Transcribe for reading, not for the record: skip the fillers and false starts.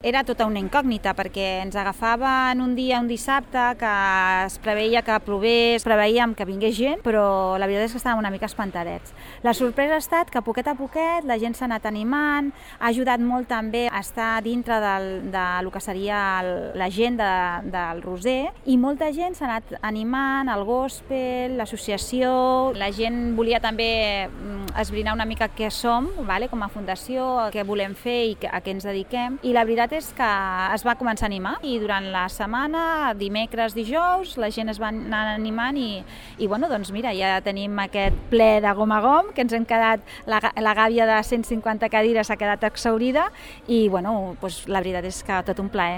Era tota una incògnita perquè ens agafava en un dia, un dissabte, que es preveia que plovés, preveíem que vingués gent, però la veritat és que estàvem una mica espantadets. La sorpresa ha estat que a poquet la gent s'ha anat animant, ha ajudat molt també a estar dintre del que seria l'agenda del Roser, i molta gent s'ha anat animant, el gospel, l'associació, la gent volia també esbrinar una mica què som, com a fundació, què volem fer i a què ens dediquem, i la veritat és que es va començar a animar i durant la setmana, dimecres, dijous, la gent es va anar animant i doncs mira, ja tenim aquest ple de gom a gom, que ens hem quedat, la gàbia de 150 cadires s'ha quedat exhaurida i doncs la veritat és que tot un plaer.